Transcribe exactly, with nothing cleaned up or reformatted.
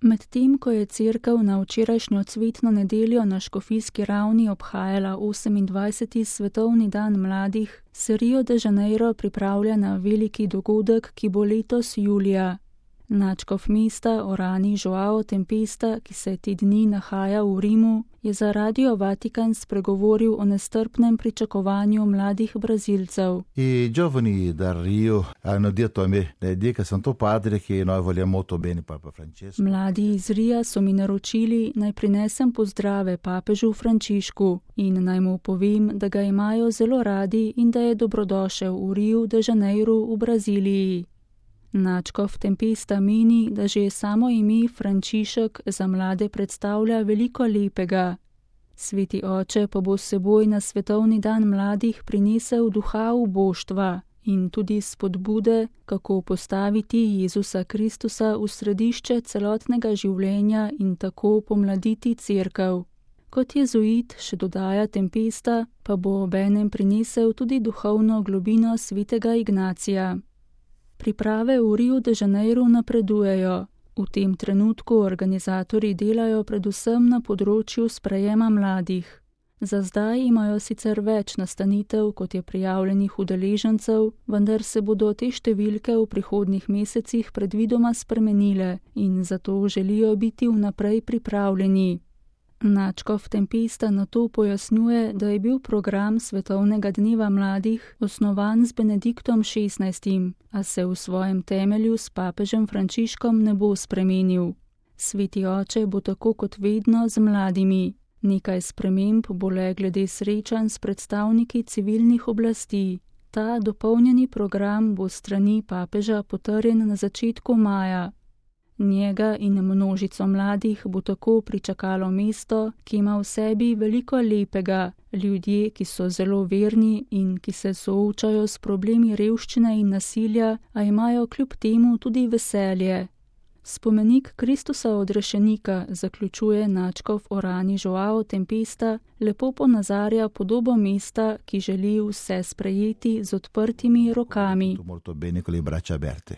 Medtem ko je cerkev na včerajšnjo cvetno nedeljo na škofijski ravni obhajala osemindvajseti svetovni dan mladih, se Rio de Janeiro pripravlja na veliki dogodek, ki bo letos julija. Nadškof mesta Orani Joao Tempesta, ki se te dni nahaja v Rimu, je za Radio Vatikan spregovoril o nestrpnem pričakovanju mladih Brazilcev. I giovani dal Rio hanno detto a me, dica Santo Padre che noi vogliamo molto bene Papa Francesco. Mladi iz Rija so mi naročili, naj prinesem pozdrave papežu Frančišku in naj mu povem, da ga imajo zelo radi in da je dobrodošel v Rio de Janeiro v Braziliji. Nadškof Tempesta meni, da že samo ime Frančišek za mlade predstavlja veliko lepega. Sveti oče pa bo s seboj na svetovni dan mladih prinesel duha uboštva in tudi spodbude, kako postaviti Jezusa Kristusa v središče celotnega življenja in tako pomladiti cerkev. Kot jezuit, še dodaja Tempesta, pa bo obenem prinesel tudi duhovno globino svetega Ignacija. Priprave v Rio de Janeiro napredujejo. V tem trenutku organizatorji delajo predvsem na področju sprejema mladih. Za zdaj imajo sicer več nastanitev, kot je prijavljenih udeležencev, vendar se bodo te številke v prihodnjih mesecih predvidoma spremenile in zato želijo biti vnaprej pripravljeni. Nadškof Tempesta nato pojasnjuje, da je bil program Svetovnega dneva mladih osnovan z Benediktom šestnajstim, a se v svojem temelju s papežem Frančiškom ne bo spremenil. Sveti oče bo tako kot vedno z mladimi. Nekaj sprememb bo le glede srečanj s predstavniki civilnih oblasti. Ta dopolnjeni program bo s strani papeža potrjen na začetku maja. Njega in množico mladih bo tako pričakalo mesto, ki ima v sebi veliko lepega, ljudje, ki so zelo verni in ki se soočajo s problemi revščine in nasilja, a imajo kljub temu tudi veselje. Spomenik Kristusa odrešenika, zaključuje nadškof Orani Joao Tempesta, lepo ponazarja podobo mesta, ki želi vse sprejeti z odprtimi rokami.